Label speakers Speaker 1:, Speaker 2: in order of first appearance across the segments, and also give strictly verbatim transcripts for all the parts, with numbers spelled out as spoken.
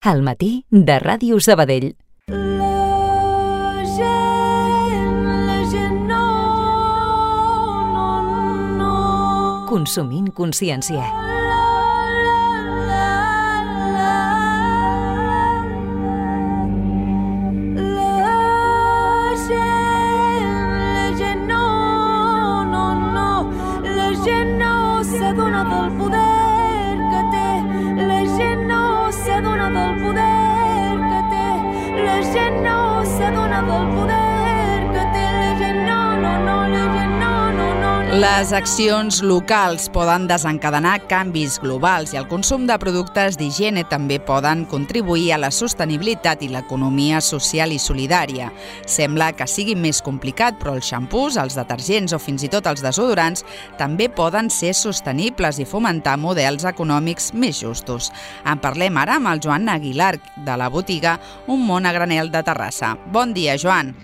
Speaker 1: Al matí de Ràdio Sabadell.
Speaker 2: La gent, la gent no, no, no.
Speaker 1: Consumint consciència.
Speaker 3: Les accions locals poden desencadenar canvis globals i el consum de productes d'higiene també poden contribuir a la sostenibilitat i l'economia social i solidària. Sembla que sigui més complicat, però els xampús, els detergents o fins i tot els desodorants també poden ser sostenibles i fomentar models econòmics més justos. En parlem ara amb el Joan Aguilar, de la botiga Un Món a Granel de Terrassa. Bon dia, Joan.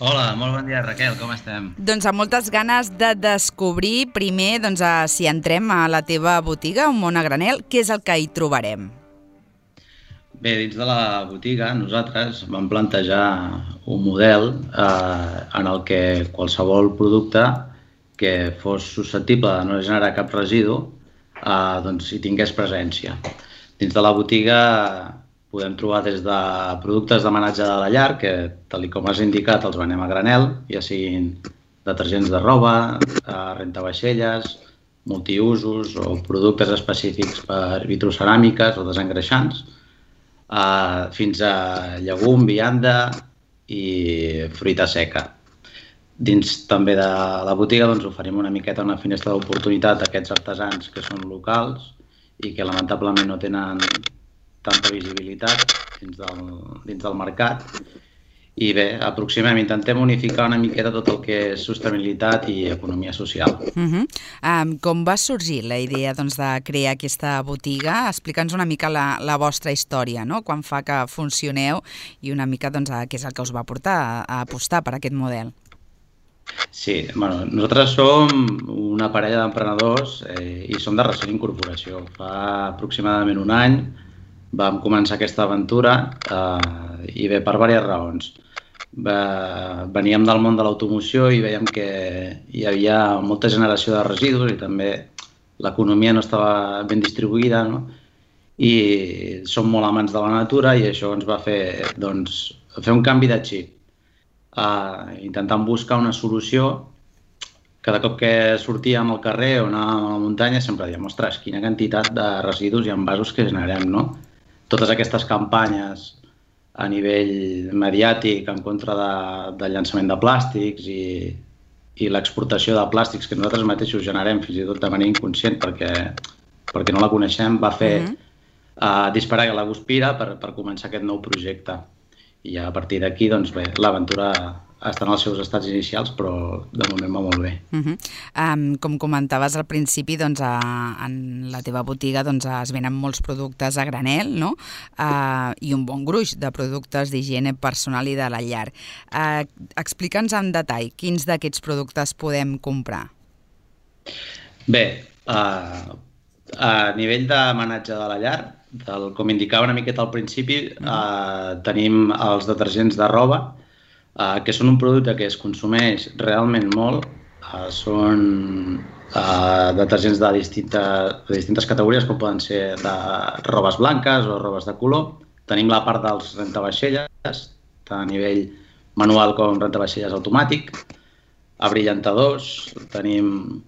Speaker 4: Hola, molt bon dia, Raquel, com estem?
Speaker 3: Doncs amb moltes ganes de descobrir primer, doncs, si entrem a la teva botiga, Un Món a Granel, què és el que hi trobarem?
Speaker 4: Bé, dins de la botiga nosaltres vam plantejar un model eh, en el que qualsevol producte que fos susceptible de no generar cap residu eh, doncs hi tingués presència. Dins de la botiga podem trobar des de productes d'homenatge de la llar, que, tal com has indicat, els venem a granel, ja siguin detergents de roba, rentavaixelles, multiusos o productes específics per vitroceràmiques o desengreixants, fins a llegum, vianda i fruita seca. Dins també de la botiga doncs, oferim una miqueta una finestra d'oportunitat a aquests artesans que són locals i que lamentablement no tenen tanta visibilitat dins del, dins del mercat. I bé, aproximem, intentem unificar una miqueta tot el que és sostenibilitat i economia social.
Speaker 3: Uh-huh. um, com va sorgir la idea doncs, de crear aquesta botiga? Explica'ns una mica la, la vostra història, no? Quan fa que funcioneu i una mica doncs, què és el que us va portar a, a apostar per aquest model.
Speaker 4: Sí, bueno, nosaltres som una parella d'emprenedors eh, i som de recent incorporació. Fa aproximadament un any vam començar aquesta aventura eh, i bé, per diverses raons. Va, veníem del món de l'automoció i veiem que hi havia molta generació de residus i també l'economia no estava ben distribuïda, no? I som molt amants de la natura i això ens va fer, doncs, fer un canvi de xip. Eh, intentant buscar una solució. Cada cop que sortíem al carrer o anàvem a la muntanya sempre dèiem, ostres, quina quantitat de residus i envasos que generem, no? Totes aquestes campanyes a nivell mediàtic en contra de, del llançament de plàstics i, i l'exportació de plàstics que nosaltres mateixos generem fins i tot de manera inconscient perquè, perquè no la coneixem, va fer uh-huh. uh, disparar la guspira per, per començar aquest nou projecte. I a partir d'aquí, doncs bé, l'aventura està en els seus estats inicials, però de moment va molt bé.
Speaker 3: Uh-huh. um, com comentaves al principi, doncs, a, en la teva botiga doncs, es venen molts productes a granel, no? Uh, i un bon gruix de productes d'higiene personal i de la llar. Uh, Explica'ns en detall quins d'aquests productes podem comprar.
Speaker 4: Bé, uh, a nivell d'homenatge de la llar, del, com indicava una miqueta al principi, uh-huh. uh, tenim els detergents de roba, Uh, que són un producte que es consumeix realment molt. Uh, són uh, detergents de distintes, de distintes categories, com poden ser de robes blanques o robes de color. Tenim la part dels rentavaixelles, tant a nivell manual com rentavaixelles automàtic, abrillantadors, tenim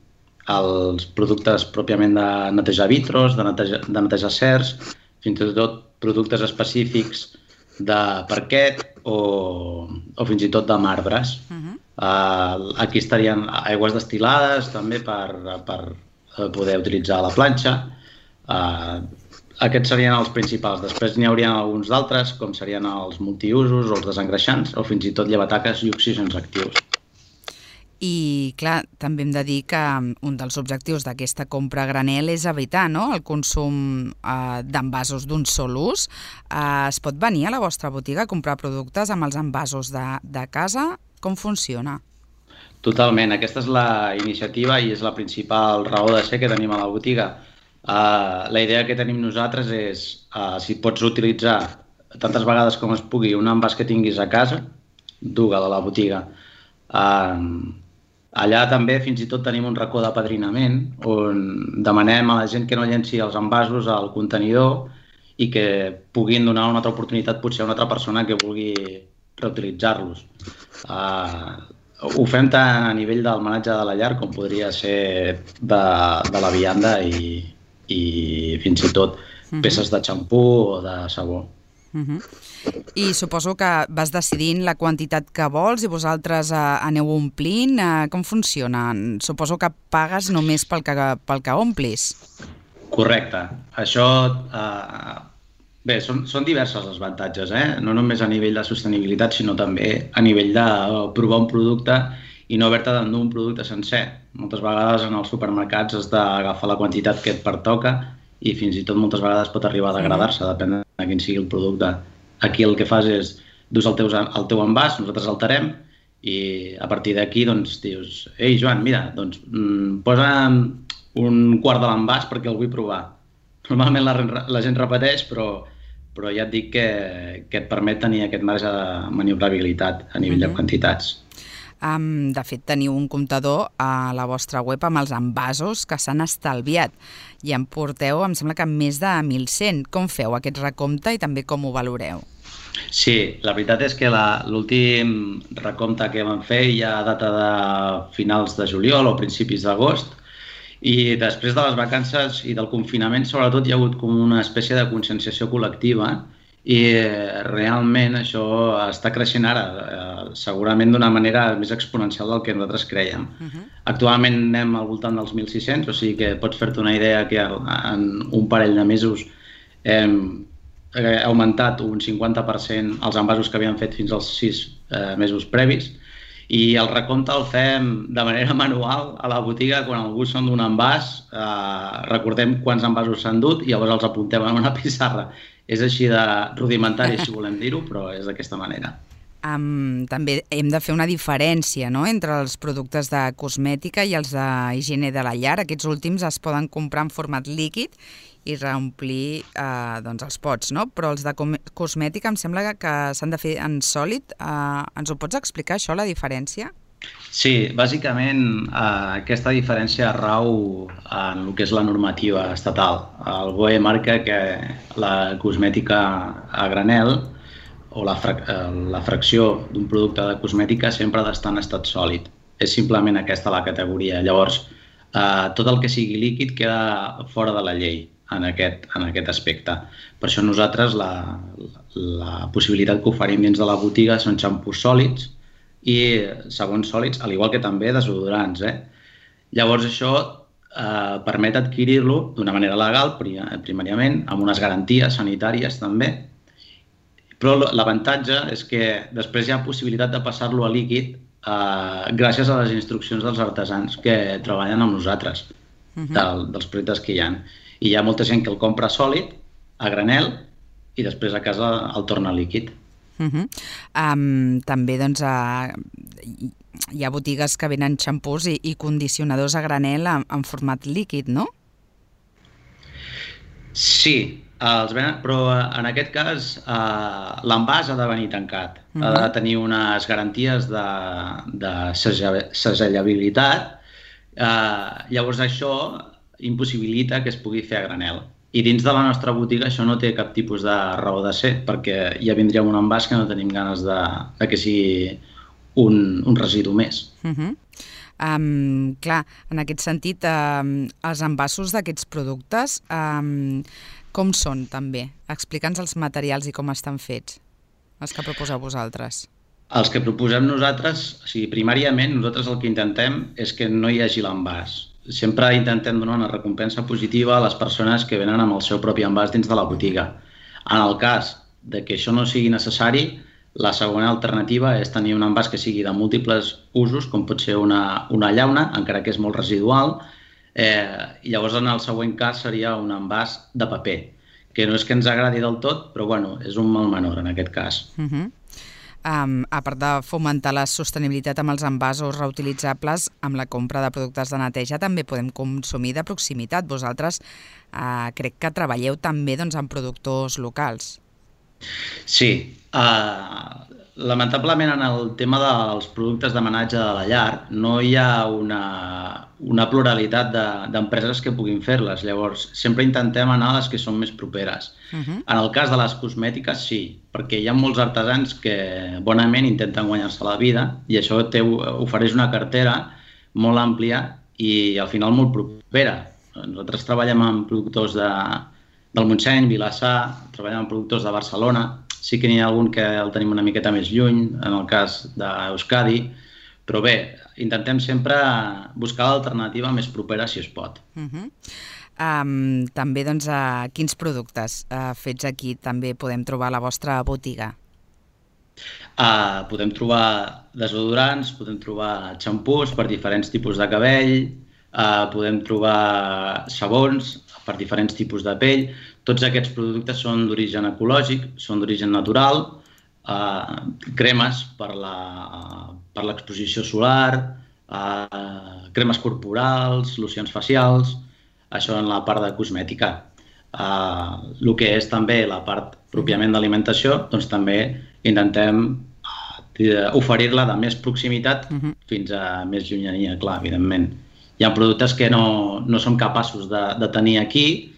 Speaker 4: els productes pròpiament de netejar vitros, de netejar, de netejar cers, fins i tot productes específics de parquet o, o fins i tot de marbres. Uh-huh. uh, aquí estarien aigües destil·lades també per, per poder utilitzar a la planxa. Uh, aquests serien els principals. Després n'hi haurien alguns d'altres, com serien els multiusos o els desengreixants o fins i tot llevataques i oxígens actius.
Speaker 3: I, clar, també hem de dir que un dels objectius d'aquesta compra a granel és evitar, no?, el consum eh, d'envasos d'un sol ús. Eh, es pot venir a la vostra botiga a comprar productes amb els envasos de, de casa? Com funciona?
Speaker 4: Totalment. Aquesta és la iniciativa i és la principal raó de ser que tenim a la botiga. Uh, la idea que tenim nosaltres és uh, si pots utilitzar tantes vegades com es pugui un envàs que tinguis a casa, duga-lo a la botiga. Uh, allà també fins i tot tenim un racó d'apadrinament on demanem a la gent que no llenci els envasos al contenidor i que puguin donar una altra oportunitat potser a una altra persona que vulgui reutilitzar-los. Uh, ho fem tant a nivell del menatge de la llar com podria ser de, de la vianda i, i fins i tot peces de xampú o de sabó.
Speaker 3: Uh-huh. I suposo que vas decidint la quantitat que vols i vosaltres eh, aneu omplint. Eh, com funciona? Suposo que pagues només pel que, pel que omplis.
Speaker 4: Correcte. Això... Eh, bé, són, són diversos els avantatges, eh? No només a nivell de sostenibilitat, sinó també a nivell de provar un producte i no haver-te d'endur un producte sencer. Moltes vegades en els supermercats has d'agafar la quantitat que et pertoca i fins i tot moltes vegades pot arribar a degradar-se, depèn de quin sigui el producte. Aquí el que fas és, dus el teu, el teu envàs, nosaltres alterem i a partir d'aquí doncs, dius, ei Joan, mira, doncs, mm, posa'm un quart de l'envàs perquè el vull provar. Normalment la, la gent repeteix, però, però ja et dic que, que et permet tenir aquest marge de maniobrabilitat a nivell uh-huh. de quantitats.
Speaker 3: Um, de fet, teniu un comptador a la vostra web amb els envasos que s'han estalviat i en porteu, em sembla que més de mil cent. Com feu aquest recompte i també com ho valoreu?
Speaker 4: Sí, la veritat és que l'últim recompte que vam fer ja data de finals de juliol o principis d'agost i després de les vacances i del confinament sobretot hi ha hagut com una espècie de conscienciació col·lectiva i realment això està creixent ara, segurament d'una manera més exponencial del que nosaltres crèiem. Uh-huh. Actualment anem al voltant dels mil sis-cents, o sigui que pots fer-te una idea que en un parell de mesos hem augmentat un cinquanta per cent els envasos que havíem fet fins als sis eh, mesos previs i el recompte el fem de manera manual a la botiga quan algú se'n d'un envàs, eh, recordem quants envasos s'han dut i llavors els apuntem en una pissarra. És així de rudimentari, si volem dir-ho, però és d'aquesta manera.
Speaker 3: Um, també hem de fer una diferència, no?, entre els productes de cosmètica i els d'higiene de la llar. Aquests últims es poden comprar en format líquid i reomplir eh, doncs els pots, no? Però els de cosmètica em sembla que, que s'han de fer en sòlid. Eh, ens ho pots explicar, això, la diferència?
Speaker 4: Sí, bàsicament eh, aquesta diferència rau en el que és la normativa estatal. El B O E marca que la cosmètica a granel o la, frac la fracció d'un producte de cosmètica sempre ha d'estar en estat sòlid. És simplement aquesta la categoria. Llavors, eh, tot el que sigui líquid queda fora de la llei en aquest, en aquest aspecte. Per això nosaltres la, la possibilitat que oferim dins de la botiga són xampús sòlids i sabons sòlids, al igual que també desodorants. Eh? Llavors això eh, permet adquirir-lo d'una manera legal, primàriament, amb unes garanties sanitàries també, però l'avantatge és que després hi ha possibilitat de passar-lo a líquid eh, gràcies a les instruccions dels artesans que treballen amb nosaltres, uh-huh. del, dels productes que hi ha. I hi ha molta gent que el compra sòlid, a granel, i després a casa el torna líquid.
Speaker 3: Uh-huh. um, també doncs, uh, hi ha botigues que venen xampús i, i condicionadors a granel en, en format líquid, no?
Speaker 4: Sí, els venen, però en aquest cas uh, l'envàs ha de venir tancat. Uh-huh. Ha de tenir unes garanties de, de segellabilitat. Uh, llavors això impossibilita que es pugui fer a granel. I dins de la nostra botiga això no té cap tipus de raó de ser, perquè ja vindria un envàs que no tenim ganes de, de que sigui un, un residu més.
Speaker 3: Uh-huh. um, clar, en aquest sentit, um, els envasos d'aquests productes, um, com són també? Explica'ns els materials i com estan fets, els que proposeu vosaltres.
Speaker 4: Els que proposem nosaltres, o sigui, primàriament, nosaltres el que intentem és que no hi hagi l'envàs. Sempre intentem donar una recompensa positiva a les persones que venen amb el seu propi envàs dins de la botiga. En el cas de que això no sigui necessari, la segona alternativa és tenir un envàs que sigui de múltiples usos, com pot ser una, una llauna, encara que és molt residual, eh, i llavors en el següent cas seria un envàs de paper, que no és que ens agradi del tot, però bueno, és un mal menor en aquest cas.
Speaker 3: Uh-huh. Um, a part de fomentar la sostenibilitat amb els envasos reutilitzables, amb la compra de productes de neteja també podem consumir de proximitat. Vosaltres uh, crec que treballeu també doncs, amb productors locals.
Speaker 4: Sí. Uh, lamentablement en el tema dels productes d'amenatge de la llar no hi ha una, una pluralitat d'empreses de, que puguin fer-les. Llavors, sempre intentem anar a les que són més properes. Uh-huh. En el cas de les cosmètiques, sí, perquè hi ha molts artesans que bonament intenten guanyar-se la vida i això te ofereix una cartera molt àmplia i al final molt propera. Nosaltres treballem amb productors de, del Montseny, Vilassar, treballem amb productors de Barcelona. Sí que n'hi ha algun que el tenim una miqueta més lluny, en el cas d'Euskadi, però bé, intentem sempre buscar l'alternativa més propera si es pot.
Speaker 3: Uh-huh. um, també, doncs, uh, quins productes uh, fets aquí també podem trobar a la vostra botiga?
Speaker 4: Uh, podem trobar desodorants, podem trobar xampús per diferents tipus de cabell, uh, podem trobar sabons per diferents tipus de pell. Tots aquests productes són d'origen ecològic, són d'origen natural, eh, cremes per l'exposició solar, eh, cremes corporals, locions facials, això en la part de cosmètica. Eh, el que és també la part pròpiament d'alimentació, doncs també intentem eh, oferir-la de més proximitat uh-huh. fins a més llunyania, clar, evidentment. Hi ha productes que no, no som capaços de, de tenir aquí,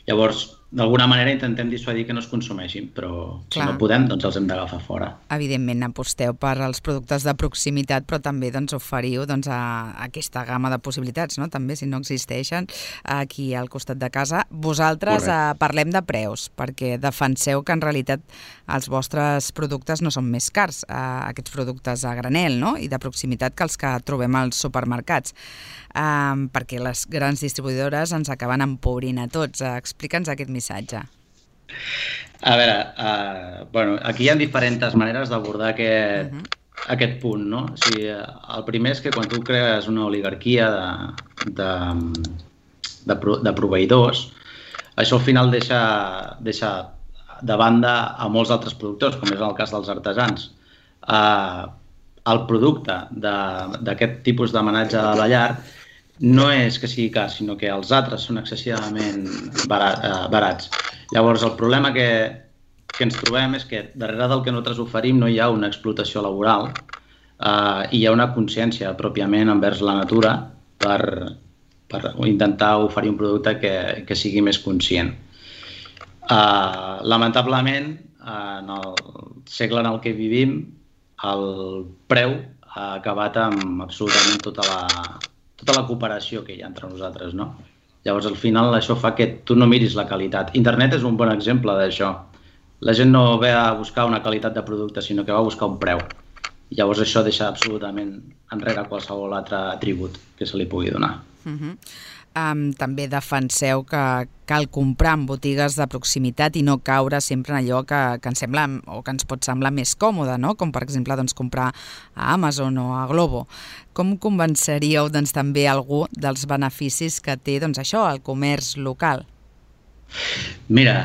Speaker 4: llavors, d'alguna manera intentem dissuadir que no es consumeixin, però Clar. Si no podem, doncs els hem d'agafar fora.
Speaker 3: Evidentment, aposteu per als productes de proximitat, però també doncs, oferiu doncs, a, a aquesta gamma de possibilitats, no? També, si no existeixen, aquí al costat de casa. Vosaltres eh, parlem de preus, perquè defenseu que en realitat els vostres productes no són més cars, eh, aquests productes a granel, no? I de proximitat que els que trobem als supermercats. Um, perquè les grans distribuïdores ens acaben empobrint a tots. Uh, Explica'ns aquest missatge.
Speaker 4: A veure, uh, bueno, aquí hi ha diferents maneres d'abordar aquest, uh-huh. aquest punt, no? O sigui, el primer és que quan tu crees una oligarquia de, de, de, de proveïdors, això al final deixa, deixa de banda a molts altres productors, com és el cas dels artesans. Uh, el producte d'aquest tipus d'amenatge de la llar no és que sigui car, sinó que els altres són excessivament barat, eh, barats. Llavors, el problema que, que ens trobem és que darrere del que nosaltres oferim no hi ha una explotació laboral eh, i hi ha una consciència pròpiament envers la natura per, per intentar oferir un producte que, que sigui més conscient. Eh, lamentablement, en el segle en el que vivim, el preu ha acabat amb absolutament tota la... tota la cooperació que hi ha entre nosaltres, no? Llavors, al final, això fa que tu no miris la qualitat. Internet és un bon exemple d'això. La gent no ve a buscar una qualitat de producte, sinó que va a buscar un preu. Llavors, això deixa absolutament enrere qualsevol altre atribut que se li pugui donar.
Speaker 3: Uh-huh. Um, també defenseu que cal comprar en botigues de proximitat i no caure sempre en allò que, que ens sembla o que ens pot semblar més còmode, no? Com per exemple doncs, comprar a Amazon o a Glovo. Com convenceríeu doncs, també algú dels beneficis que té doncs, això, el comerç local?
Speaker 4: Mira,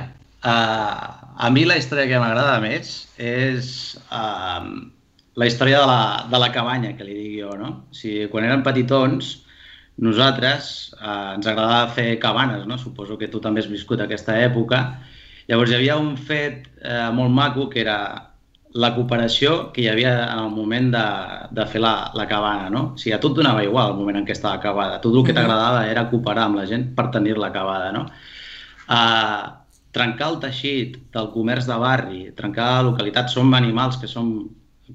Speaker 4: uh, a mi la història que m'agrada més és uh, la història de la, de la cabanya, que li dic jo, no? O sigui, quan eren petitons, nosaltres eh, ens agradava fer cabanes, no? Suposo que tu també has viscut aquesta època. Llavors hi havia un fet eh, molt maco que era la cooperació que hi havia en el moment de, de fer la, la cabana, no? O sigui, a tu et donava igual el moment en què estava acabada. Tot el que t'agradava era cooperar amb la gent per tenir-la acabada, no? Eh, trencar el teixit del comerç de barri, trencar la localitat, som animals que som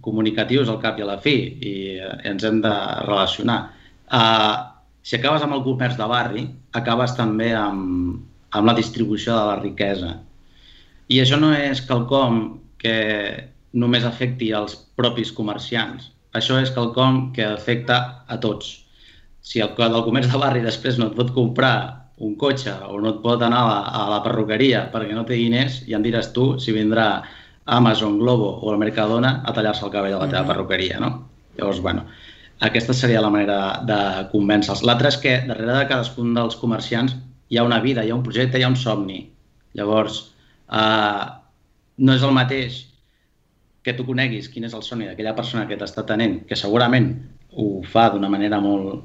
Speaker 4: comunicatius al cap i a la fi i eh, ens hem de relacionar. Eh, Si acabes amb el comerç de barri, acabes també amb, amb la distribució de la riquesa. I això no és quelcom que només afecti als propis comerciants. Això és quelcom que afecta a tots. Si el del comerç de barri després no et pot comprar un cotxe o no et pot anar a la, a la perruqueria perquè no té diners, ja em diràs tu si vindrà Amazon, Glovo o el Mercadona a tallar-se el cabell a la teva perruqueria, no? Llavors, bueno, aquesta seria la manera de convèncer-los. L'altre és que darrere de cadascun dels comerciants hi ha una vida, hi ha un projecte, hi ha un somni. Llavors, eh, no és el mateix que tu coneguis quin és el somni d'aquella persona que t'està tenint, que segurament ho fa d'una manera molt,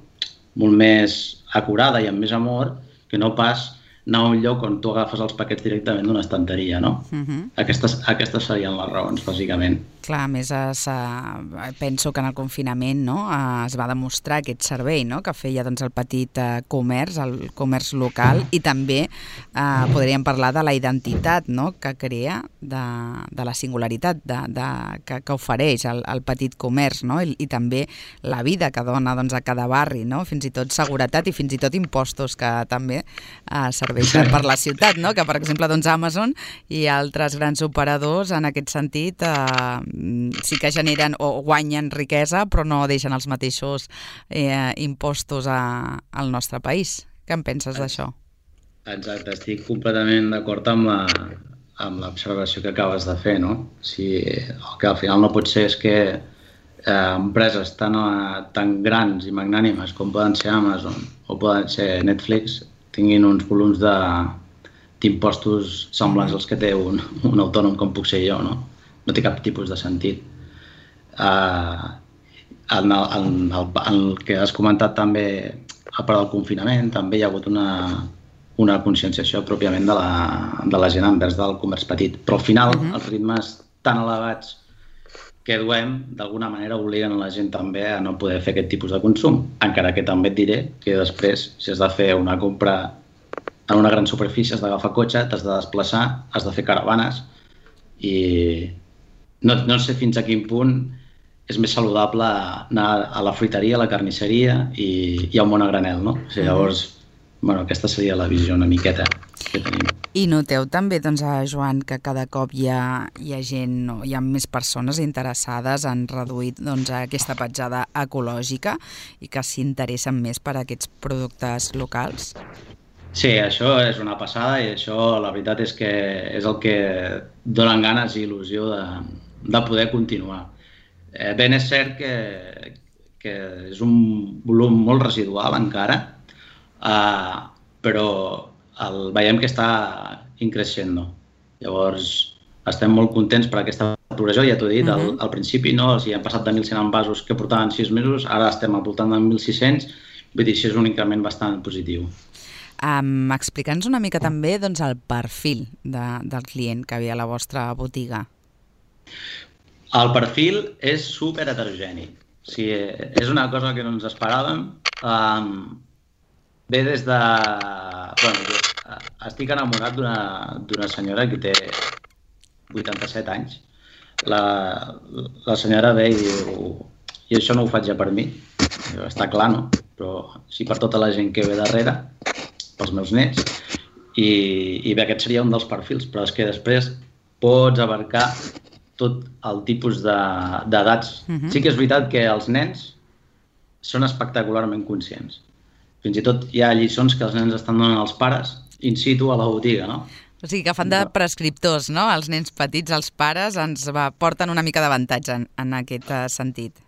Speaker 4: molt més acurada i amb més amor, que no pas anar a un lloc on tu agafes els paquets directament d'una estanteria, no? Uh-huh. Aquestes, aquestes serien les raons, bàsicament.
Speaker 3: Clar, a més, es, uh, penso que en el confinament, no, uh, es va demostrar aquest servei, no?, que feia doncs, el petit uh, comerç, el comerç local, i també uh, podríem parlar de la identitat, no?, que crea, de, de la singularitat de, de, que, que ofereix el, el petit comerç, no?, I, i també la vida que dona doncs, a cada barri, no?, fins i tot seguretat i fins i tot impostos que també uh, serveixen per la ciutat, no?, que per exemple doncs, Amazon i altres grans operadors en aquest sentit eh, sí que generen o guanyen riquesa però no deixen els mateixos eh, impostos a, al nostre país. Què en penses d'això?
Speaker 4: Exacte, estic completament d'acord amb la, amb l'observació que acabes de fer, no? Si, el que al final no pot ser és que eh, empreses tan, tan grans i magnànimes com poden ser Amazon o poden ser Netflix tinguin uns volums de, d'impostos semblants als que té un, un autònom com puc ser jo, no? No té cap tipus de sentit. Uh, en, el, en, el, en el que has comentat també, a part del confinament, també hi ha hagut una, una conscienciació pròpiament de la, de la gent envers del comerç petit. Però al final, uh-huh. els ritmes tan elevats que duem, d'alguna manera obliguen a la gent també a no poder fer aquest tipus de consum. Encara que també et diré que després, si has de fer una compra en una gran superfície, has d'agafar cotxe, t'has de desplaçar, has de fer caravanes i no, no sé fins a quin punt és més saludable anar a la fruiteria, a la carnisseria i, i a un món a granel, no? O sigui, llavors, bueno, aquesta seria la visió una miqueta que tenim.
Speaker 3: I noteu també, doncs, Joan, que cada cop hi ha, hi ha gent, no, hi ha més persones interessades en reduir doncs, aquesta petjada ecològica i que s'interessen més per aquests productes locals?
Speaker 4: Sí, això és una passada i això la veritat és que és el que donen ganes i il·lusió de, de poder continuar. Eh, ben és cert que, que és un volum molt residual encara, eh, però el, veiem que està increixent. Llavors estem molt contents per aquesta progressió, ja t'ho he dit, uh-huh. al, al principi no, o sigui, hem passat de mil cent envasos que portaven sis mesos, ara estem al voltant de mil sis-cents, vull dir, això és un increment bastant positiu.
Speaker 3: Um, Explica'ns una mica també doncs, el perfil de, del client que havia a la vostra botiga.
Speaker 4: El perfil és super heterogeni. O sigui, és una cosa que no ens esperàvem. Um, ve des de... Bueno, jo estic enamorat d'una, d'una senyora que té vuitanta-set anys. La, la senyora ve i diu... I això no ho faig ja per mi. Està clar, no? Però sí per tota la gent que ve darrere, pels meus nets, i, i bé, aquest seria un dels perfils, però és que després pots abarcar tot el tipus d'edats. De, uh-huh. Sí que és veritat que els nens són espectacularment conscients. Fins i tot hi ha lliçons que els nens estan donant als pares in situ a la botiga, no?
Speaker 3: O sigui que fan de prescriptors, no? Els nens petits, els pares, ens va, porten una mica d'avantatge en, en aquest uh, sentit.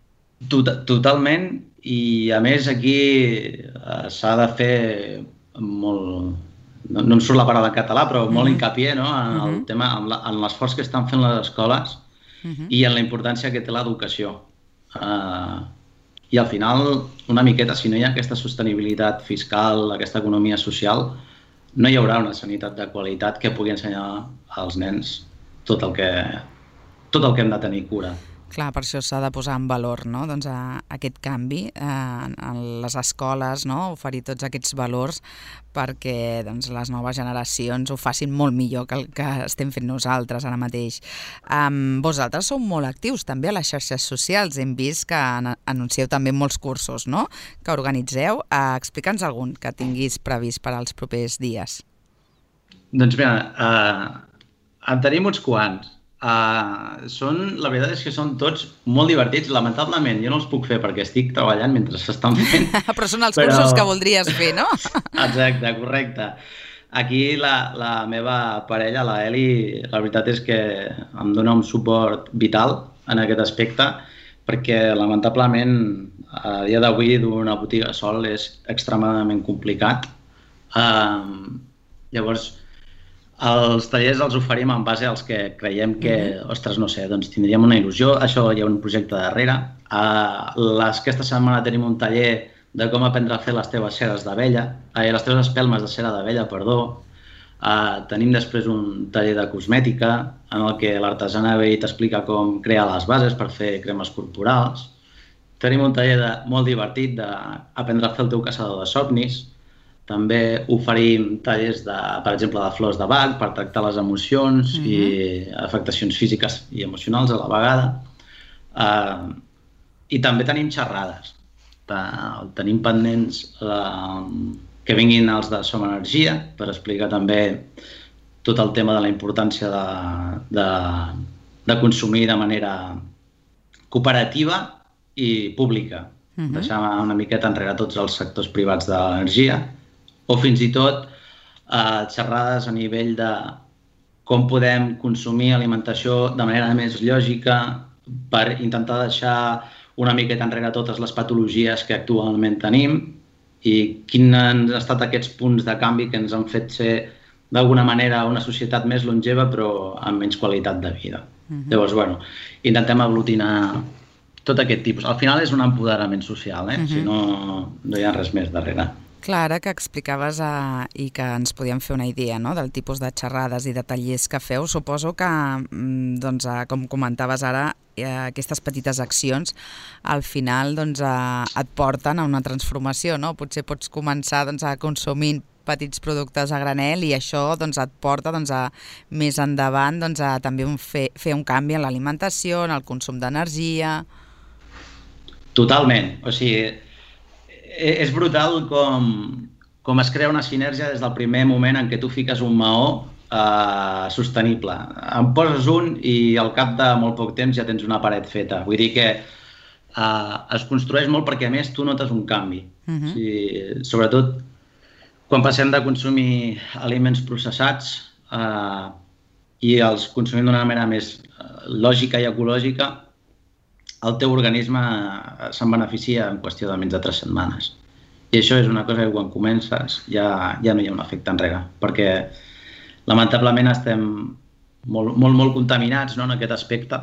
Speaker 4: Tot, totalment, i a més aquí uh, s'ha de fer molt... No, no em surt la paraula en català, però molt uh-huh. hincapié, no? en el uh-huh. tema, en, la, en l'esforç que estan fent les escoles uh-huh. i en la importància que té l'educació. Uh, I al final, una miqueta, si no hi ha aquesta sostenibilitat fiscal, aquesta economia social, no hi haurà una sanitat de qualitat que pugui ensenyar als nens tot el que, tot el que hem de tenir cura.
Speaker 3: Clar, per això s'ha de posar en valor, no? Doncs, a, aquest canvi eh, en les escoles, no? Oferir tots aquests valors perquè doncs, les noves generacions ho facin molt millor que el que estem fent nosaltres ara mateix. Um, vosaltres sou molt actius també a les xarxes socials. Hem vist que an anuncieu també molts cursos, no? Que organitzeu. Uh, Explica'ns algun que tinguis previst per als propers dies.
Speaker 4: Doncs mira, uh, en tenim uns quants. Uh, són, la veritat és que són tots molt divertits. Lamentablement jo no els puc fer perquè estic treballant mentre s'estan fent.
Speaker 3: Però són els però... cursos que voldries fer, no?
Speaker 4: Exacte, correcte. Aquí la, la meva parella, la Eli, la veritat és que em dona un suport vital en aquest aspecte perquè lamentablement a dia d'avui d'una botiga sol és extremadament complicat. Uh, llavors Els tallers els oferim en base als que creiem que, mm-hmm. ostres, no sé, doncs tindríem una il·lusió. Això hi ha un projecte darrere. Uh, les, aquesta setmana tenim un taller de com aprendre a fer les teves ceres d'abella, eh, les teves espelmes de cera d'abella, perdó. Uh, tenim després un taller de cosmètica en el que l'artesana ve i t'explica com crear les bases per fer cremes corporals. Tenim un taller de, molt divertit d'aprendre a fer el teu caçador de somnis. També oferim tallers, de, per exemple, de flors de Bach per tractar les emocions mm-hmm. i afectacions físiques i emocionals a la vegada. Uh, I també tenim xerrades. Uh, tenim pendents uh, que vinguin els de Som Energia per explicar també tot el tema de la importància de, de, de consumir de manera cooperativa i pública. Mm-hmm. Deixar una miqueta enrere tots els sectors privats de l'energia. O fins i tot eh, xerrades a nivell de com podem consumir alimentació de manera més lògica per intentar deixar una miqueta enrere totes les patologies que actualment tenim i quins han estat aquests punts de canvi que ens han fet ser d'alguna manera una societat més longeva però amb menys qualitat de vida. Uh-huh. Llavors, bueno, intentem aglutinar tot aquest tipus. Al final és un empoderament social, eh? Uh-huh. Si no, no hi ha res més darrere.
Speaker 3: Clar, que explicaves eh, i que ens podíem fer una idea, no?, del tipus de xerrades i de tallers que feu. Suposo que, doncs, eh, com comentaves ara, eh, aquestes petites accions al final doncs, eh, et porten a una transformació, no? Potser pots començar doncs, a consumir petits productes a granel i això doncs, et porta doncs, a, més endavant doncs, a també un fer, fer un canvi en l'alimentació, en el consum d'energia...
Speaker 4: Totalment. O sigui, és brutal com, com es crea una sinergia des del primer moment en què tu fiques un maó eh, sostenible. En poses un i al cap de molt poc temps ja tens una paret feta. Vull dir que eh, es construeix molt perquè a més tu notes un canvi. Uh-huh. O sigui, sobretot quan passem de consumir aliments processats eh, i els consumim d'una manera més lògica i ecològica, el teu organisme se'n beneficia en qüestió de menys de tres setmanes. I això és una cosa que quan comences ja, ja no hi ha un efecte enrere, perquè lamentablement estem molt, molt, molt contaminats, no?, en aquest aspecte.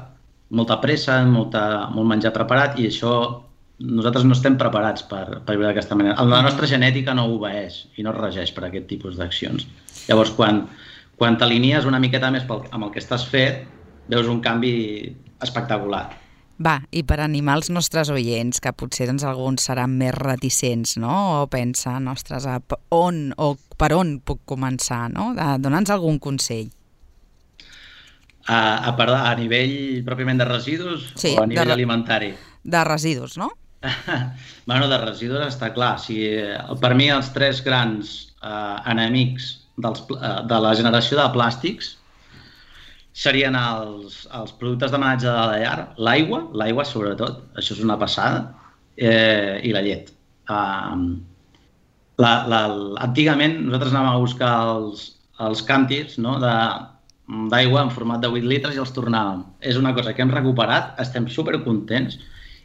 Speaker 4: Molta pressa, molta, molt menjar preparat i això nosaltres no estem preparats per, per viure d'aquesta manera. La nostra genètica no obeeix i no es regeix per aquest tipus d'accions. Llavors, quan, quan t'alinies una miqueta més pel, amb el que estàs fet, veus un canvi espectacular.
Speaker 3: Va, i per animar els nostres oients, que potser doncs, alguns seran més reticents, no?, o pensen, ostres, on o per on puc començar, no?, dona'ns algun consell.
Speaker 4: A, a, a nivell pròpiament de residus
Speaker 3: sí,
Speaker 4: o a nivell
Speaker 3: de,
Speaker 4: alimentari?
Speaker 3: De residus, no?
Speaker 4: Bueno, de residus està clar. Si, per mi els tres grans eh, enemics dels, eh, de la generació de plàstics serien els, els productes d'homenatge de la llar, l'aigua, l'aigua sobretot, això és una passada, eh, i la llet. Uh, la, la, antigament nosaltres anàvem a buscar els, els càntirs, no?, d'aigua en format de vuit litres i els tornàvem. És una cosa que hem recuperat, estem supercontents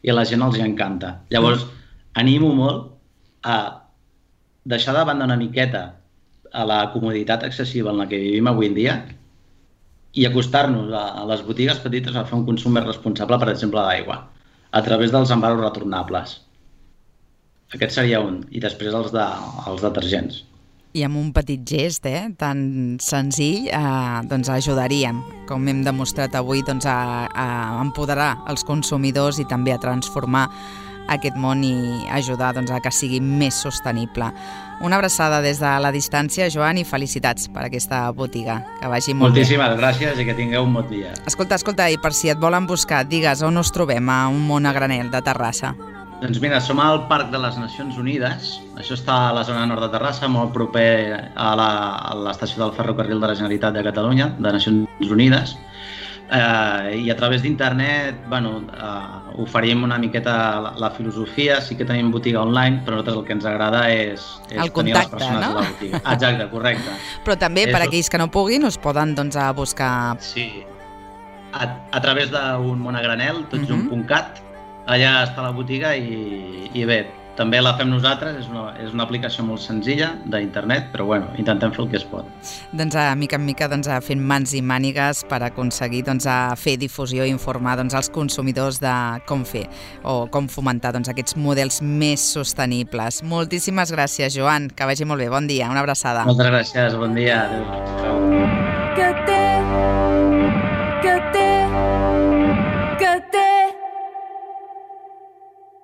Speaker 4: i a la gent els encanta. Llavors, animo molt a deixar de banda una miqueta a la comoditat excessiva en la que vivim avui en dia i acostar-nos a les botigues petites a fer un consum més responsable, per exemple, d'aigua, a través dels envasos retornables. Aquest seria un. I després els, de, els detergents.
Speaker 3: I amb un petit gest eh, tan senzill eh, doncs ajudaríem, com hem demostrat avui, doncs a, a empoderar els consumidors i també a transformar aquest món i ajudar doncs, a que sigui més sostenible. Una abraçada des de la distància, Joan, i felicitats per aquesta botiga. Que vagi molt
Speaker 4: Moltíssimes
Speaker 3: bé.
Speaker 4: gràcies i que tingueu un bon dia.
Speaker 3: Escolta, escolta, i per si et volen buscar, digues on us trobem a un món a granel de Terrassa.
Speaker 4: Doncs mira, som al Parc de les Nacions Unides. Això està a la zona nord de Terrassa, molt proper a l'estació del ferrocarril de la Generalitat de Catalunya, de Nacions Unides. Eh, I a través d'internet, bueno, eh, oferim una miqueta la, la filosofia, sí que tenim botiga online, però a nosaltres el que ens agrada és, és
Speaker 3: el
Speaker 4: tenir
Speaker 3: contacte,
Speaker 4: les persones
Speaker 3: no?
Speaker 4: a la botiga. Exacte, correcte.
Speaker 3: Però també per
Speaker 4: és...
Speaker 3: aquells que no puguin us poden doncs, a buscar...
Speaker 4: Sí, a, a través d'un món a granel, tots uh-huh. un punt cat, allà està la botiga i, i bé, també la fem nosaltres, és una, és una aplicació molt senzilla d'internet, però bueno, intentem fer el que es pot.
Speaker 3: Doncs a mica en mica doncs, fent mans i mànigues per aconseguir doncs, fer difusió i informar doncs, als consumidors de com fer o com fomentar doncs, aquests models més sostenibles. Moltíssimes gràcies, Joan, que vagi molt bé. Bon dia, una abraçada.
Speaker 4: Moltes gràcies, bon dia. Adéu.